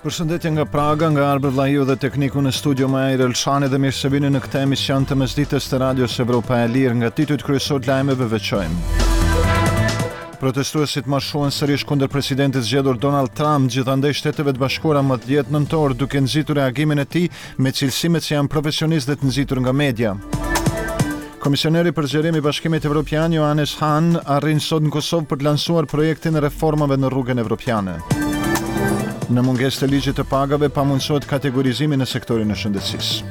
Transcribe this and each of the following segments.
Përshëndetje nga Praga, nga Arbër Vllahiu dhe tekniku në studio Majer Elshani dhe mirë se vini në këtë emision të mesditës të Radios Evropa e Lirë. Nga titujt kryesorë të lajmeve veçojmë. Protestuesit marshuan sërish kundër presidentit të zgjedhur Donald Trump gjithandej Shteteve të Bashkuara më 10 nëntor, duke nxitur reagimin e tij me cilësimet se janë profesionistë dhe të nxitur nga media. Komisioneri për zgjerim i Bashkimit Evropian Johannes Hahn arrin sot në Kosovë për të lansuar projektin e reformave në rrugën evropiane. Në mungesë të ligjit të pagave pamundësohet kategorizimi në sektorin e shëndetësisë.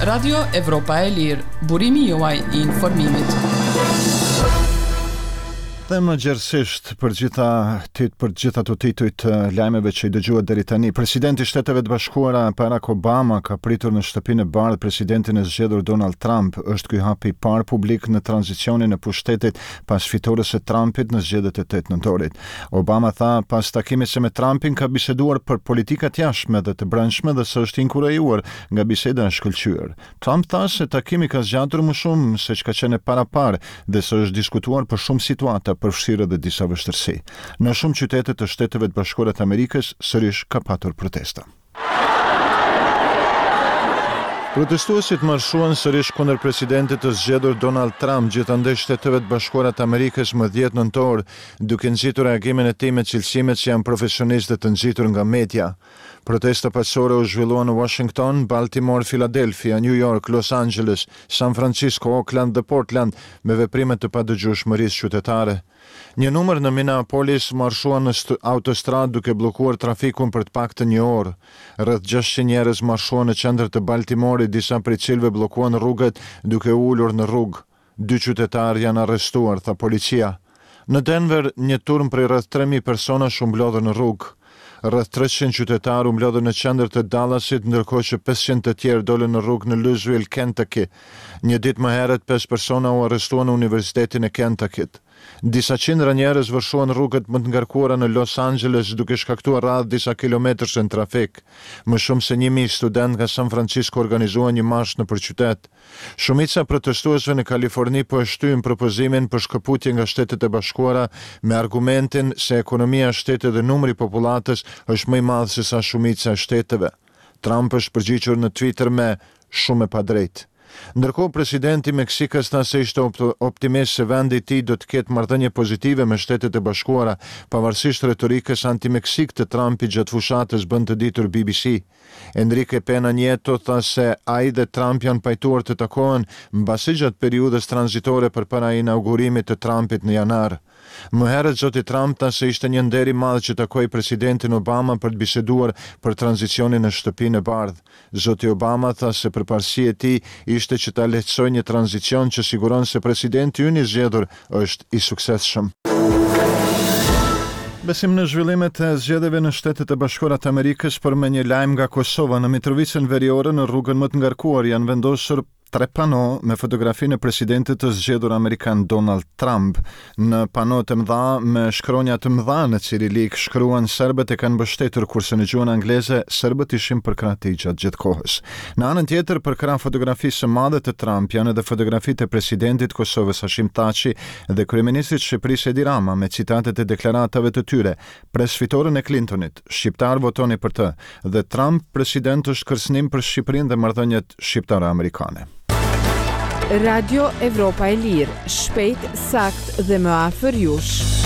Radio Evropa e Lirë, burimi juaj i informimit. Dhe më gjerësisht për gjitha tit për gjithë ato tituj të lajmeve që i dëgjuat deri tani. Presidenti i Shteteve të Bashkuara Barack Obama ka pritur në Shtëpinë e Bardhë presidentin e zgjedhur Donald Trump. Është ky hapi i parë publik në tranzicionin e pushtetit pas fitores së Trumpit në zgjedhjet e 8 nëntorit. Obama tha pas takimit se me Trumpin ka biseduar për politikat e jashtme dhe të brendshme dhe se është inkurajuar nga biseda e shkëlqyer. Trump tha se takimi ka zgjatur më shumë se ç'ka qenë e paraparë dhe se është diskutuar për shumë situata, përfshirë edhe disa vështirësi. Në shumë qytete të Shteteve të Bashkuara të Amerikës sërish ka patur protesta. Protestuesit marshuan sërish kundër presidentit të zgjedhur Donald Trump gjithandej Shteteve të Bashkuara të Amerikës më 10 nëntor, duke nxitur reagimin e tij me cilësimet se janë profesionistë dhe të nxitur nga media. Protesta paqësore u zhvilluan në Washington, Baltimore, Philadelphia, New York, Los Angeles, San Francisco, Oakland dhe Portland me veprime të padëgjueshmërisë qytetare. Një numër në Minneapolis marshuan në autostradë duke bllokuar trafikun për të paktën një orë. Rreth 600 njerëz marshuan në qendër të Baltimorit, disa prej cilëve bllokuan rrugët duke u ulur në rrugë. Dy qytetarë janë arrestuar, tha policia. Në Denver, një turmë prej rreth 3.000 personash u mblodhën në rrugë. Rreth 300 qytetarë u mblodhën në qendër të Dallasit, ndërkohë që 500 të tjerë dolën në rrugë në Louisville, Kentucky. Një ditë më herët, pesë persona u arrestuan në Universitetin e Kentucky-t. Disa qindra njerëz vërshuan rrugët më të ngarkuara në Los Angeles, duke shkaktuar radhë disa kilometërsh në trafik. Më shumë se 1000 studentë nga San Francisco organizuan një marsh nëpër qytet. Shumica e protestuesve në Kaliforni po e shtyjnë propozimin për shkëputje nga Shtetet e Bashkuara me argumentin se ekonomia e shtetit dhe numri i popullatës është më i madh se sa shumica e shteteve. Trump është përgjigjur në Twitter me shumë e padrejtë. Ndërkohë, presidenti i Meksikës tha se ishte optimist se vendi i tij do të ketë marrëdhënie pozitive me Shtetet e Bashkuara, pavarësisht retorikës anti-Meksikë të Trumpit gjatë fushatës, bën të ditur BBC. Enrique Pena Nieto tha se ai dhe Trump janë pajtuar të takohen mbase gjatë periudhës tranzitore përpara inaugurimit të Trumpit në janar. Më herët zoti Trump tha se ishte një nder i madh që takoi presidentin Obama për të biseduar për tranzicionin në Shtëpinë e Bardhë. Zoti Obama tha se përparësi e tij ishte që ta lehtësojë një tranzicion që siguron se presidenti ynë i zgjedhur është i suksesshëm. Mbesim në zhvillimet e zgjedhjeve në Shtetet e Bashkuara të Amerikës, por me një lajm nga Kosova, në Mitrovicën Veriore, në rrugën më të ngarkuar janë vendosur tre pano me fotografinë e presidentit të zgjedhur amerikan Donald Trump. Në panot e mëdha me shkronja të mëdha në cirilik shkruan serbët e kanë mbështetur, kurse në gjuhën angleze serbët ishin përkrah tij gjatë gjithë kohës. Në anën tjetër, përkrah fotografisë së madhe të Trump janë edhe fotografitë e presidentit të Kosovës Hashim Thaçi dhe kryeministrit të Shqipërisë Edi Rama me citatet e deklaratave të tyre, Pres fitoren e Clintonit, shqiptarë votoni për të dhe Trump president është kërcënim për Shqipërinë dhe marrëdhëniet shqiptaro-amerikane. Radio Evropa e Lirë, shpejt, saktë dhe më afër jush.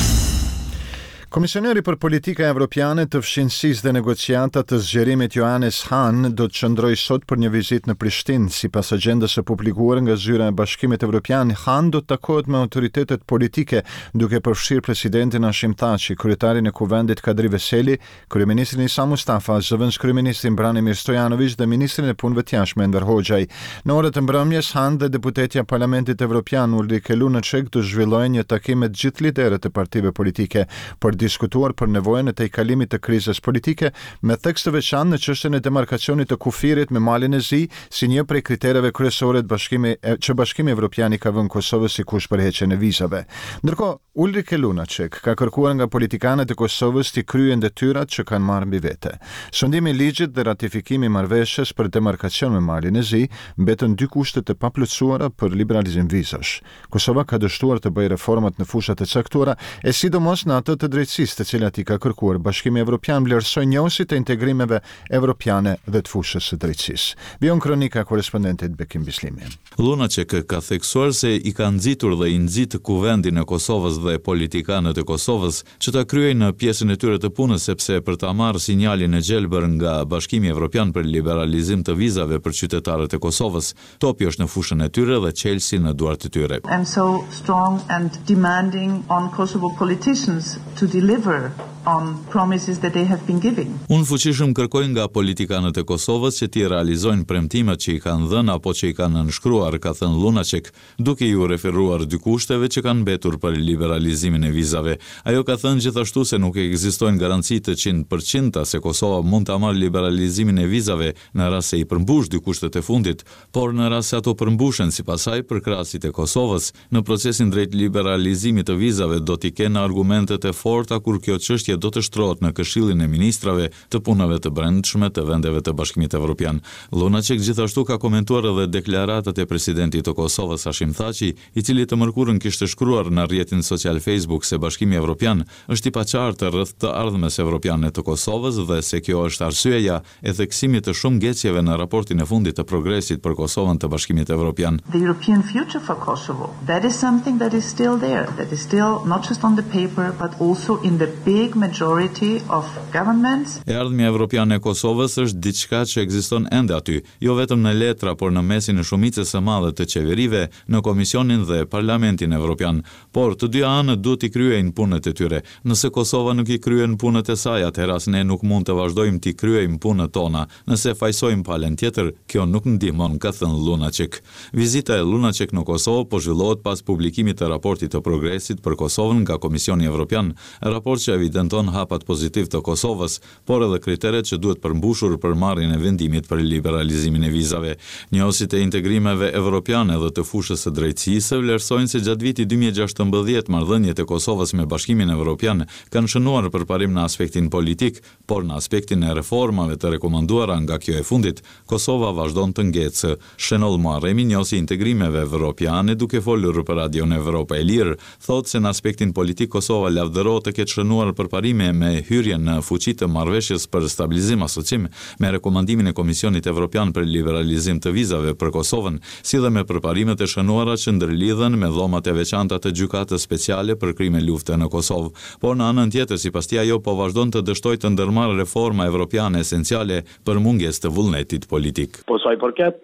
Komisioneri për Politika Evropiane të Fqinjësisë dhe Negociata të Zgjerimit Johannes Hahn do të qëndrojë sot për një vizitë në Prishtinë. Sipas agjendës së publikuar nga Zyra e Bashkimit Evropian, Hahn do të takohet me autoritetet politike, duke përfshirë presidentin Hashim Thaçi, kryetarin e Kuvendit Kadri Veseli, Kryeministrin Isa Mustafa, zëvendëskryeministrin Branimir Stojanoviq dhe ministrin e Punëve të Jashtme Enver Hoxhaj. Në orët e mbrëmjes, Hahn dhe deputetja e Parlamentit Evropian Ulrike Lunacek do të zhvillojnë një takim me të gjithë liderët e partive politike për të diskutuar për nevojën e tejkalimit të krizës politike, me theks të veçantë në çështjen e demarkacionit të kufirit me Malin e Zi, si një prej kritereve kryesore të Bashkimi që Bashkimi Evropian i ka vënë Kosovës si kusht për heqjen e vizave. Ndërkohë, Ulrike Lunacek ka kërkuar nga politikanët e Kosovës t'i kryejnë detyrat që kanë marrë mbi vete. Sundimi i ligjit dhe ratifikimi i marrëveshjes për demarkacion me Malin e Zi mbeten dy kushte të paplotësuara për liberalizim vizash. Kosova ka dështuar të bëjë reformat në fushat e caktuara, e sidomos në atë të drejtësisë. drejtësisë, të cilat i ka kërkuar Bashkimi Evropian, vlerësojnë njohësit e integrimeve evropiane dhe të fushës së drejtësisë. Vijon kronika e korrespondentit Bekim Bislimi. Lunacek ka theksuar se i ka nxitur dhe i nxit Kuvendin e Kosovës dhe politikanët e Kosovës që ta kryejnë pjesën e tyre të punës sepse për ta marrë sinjalin e gjelbër nga Bashkimi Evropian për liberalizim të vizave për qytetarët e Kosovës, topi është në fushën e tyre dhe çelësi në duart e tyre. am so strong and demanding on Kosovo politicians to deliver on promises that they have been giving. Unë fuqishëm kërkoj nga politikanët e Kosovës që t'i realizojnë premtimet që i kanë dhënë apo që i kanë nënshkruar, ka thënë Lunacek, duke iu referuar dy kushteve që kanë mbetur për liberalizimin e vizave. Ajo ka thënë gjithashtu se nuk ekzistojnë garanci të qind për qindta se Kosova mund ta marrë liberalizimin e vizave në rast se i përmbush dy kushtet e fundit, por në rast se ato përmbushen, sipas saj, përkrahësit e Kosovës, në procesin drejt liberalizimit të vizave do t'i kenë argumentet e forta kur kjo çështje do të shtrohet në Këshillin e Ministrave të Punëve të Brendshme të vendeve të Bashkimit Evropian. Lunacek gjithashtu ka komentuar edhe deklaratat e presidentit të Kosovës, Hashim Thaçi, i cili të mërkurën kishte shkruar në rrjetin social Facebook se Bashkimi Evropian është i paqartë rreth të ardhmes evropiane të Kosovës dhe se kjo është arsyeja e theksimit të shumë ngecjeve në raportin e fundit të progresit për Kosovën të Bashkimit Evropian. The European future for Kosovo, that is something that is still there, that is still not just on the paper, but also in the big majority of governments. E ardhmja evropiane e Kosovës është diçka që ekziston ende aty, jo vetëm në letra, por në mesin e shumicës së madhe të qeverive, në Komisionin dhe Parlamentin Evropian. Por, të dyja anët duhet t'i kryejnë punët e tyre. Nëse Kosova nuk i kryen punët e saj, atëherë as ne nuk mund të vazhdojmë t'i kryejmë punët tona. Nëse fajësojmë palën tjetër, kjo nuk ndihmon, ka thënë Lunacek. Vizita e Lunacek në Kosovë po zhvillohet pas publikimit të raportit të progresit për Kosovën nga Komisioni Evropian, raport që evidenton hapat pozitivë të Kosovës, por edhe kriteret që duhet përmbushur për marrjen e vendimit për liberalizimin e vizave. Njohësit e integrimeve evropiane dhe të fushës së drejtësisë vlerësojnë se gjatë vitit 2016 marrëdhëniet e Kosovës me Bashkimin Evropian kanë shënuar përparim në aspektin politik, por në aspektin e reformave të rekomanduara nga kjo e fundit, Kosova vazhdon të ngecë. Shenoll Muharremi, njohës i integrimeve evropiane, duke folur për Radion Evropa e Lirë, thotë se në aspektin politik Kosova lavdërohet të ketë shënuar përparime me hyrjen në fuqi të marrëveshjes për stabilizim asociim, me rekomandimin e Komisionit Evropian për liberalizim të vizave për Kosovën, si dhe me përparimet e shënuara që ndërlidhen me dhomat e veçanta të Gjykatës Speciale për krime lufte në Kosovë. Por në anën tjetër, sipas tij ajo po vazhdon të dështojë të ndërmarrë reforma evropiane esenciale për mungesë të vullnetit politik. Po sa i përket.